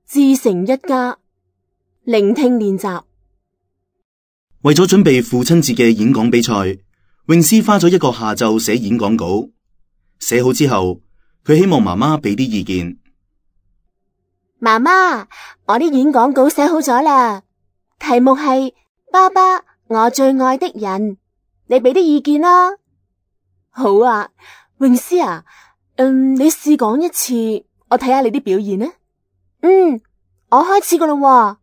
自成一家。聆聽練習。為咗準備父親節嘅演講比賽，詠詩花咗一個下晝寫演講稿。寫好之後，佢希望媽媽俾啲意見。媽媽，我啲演講稿寫好咗啦，題目係爸爸，我最愛的人，你俾啲意見啦。好啊，詠詩啊，你試講一次，我睇下你啲表現呢。我開始噶啦。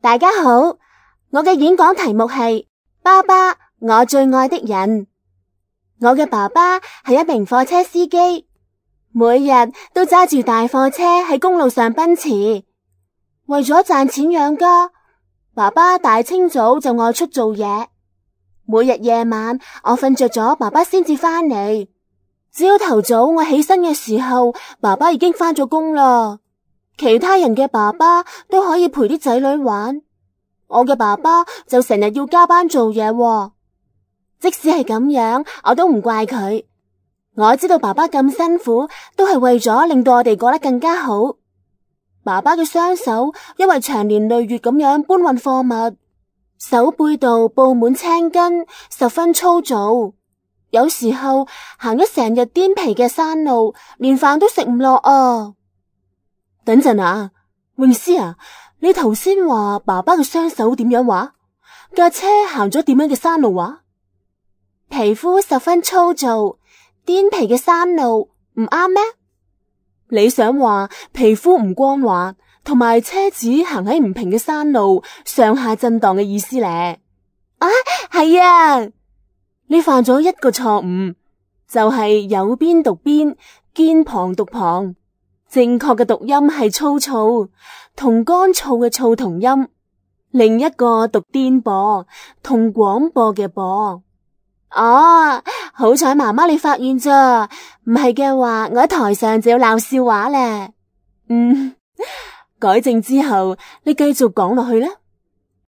大家好，我嘅演講題目係爸爸，我最愛的人。我嘅爸爸係一名貨車司機，每日都揸住大貨車喺公路上奔馳。為咗賺錢養家，爸爸大清早就外出做嘢。每日夜晚我瞓着咗，爸爸先至翻嚟。朝頭早我起身嘅時候，爸爸已經翻咗工啦。其他人嘅爸爸都可以陪啲仔女玩，我嘅爸爸就成日要加班做嘢喎。即使係咁樣，我都唔怪佢。我知道爸爸咁辛苦，都係為咗令到我哋過得更加好。爸爸嘅雙手因為長年累月咁樣搬運貨物，手背度布滿青筋，十分粗糙。有時候行咗成日顛皮嘅山路，連飯都食唔落啊！等陣啊，詠詩啊，你頭先話爸爸嘅雙手點樣話？架車行咗點樣嘅山路話？皮膚十分粗糙，顛皮嘅山路唔啱咩？你想話皮膚唔光滑，同埋車子行喺唔平嘅山路上下震盪嘅意思咧？啊，係啊！你犯咗一個錯誤，就係有邊讀邊，肩旁讀旁。正確嘅讀音係粗糙，同乾燥嘅燥同音。另一個讀顛簸，同廣播嘅播。哦，好彩媽媽你發現咋，唔係嘅話我喺台上就要鬧笑話咧。改正之後，你繼續講落去啦。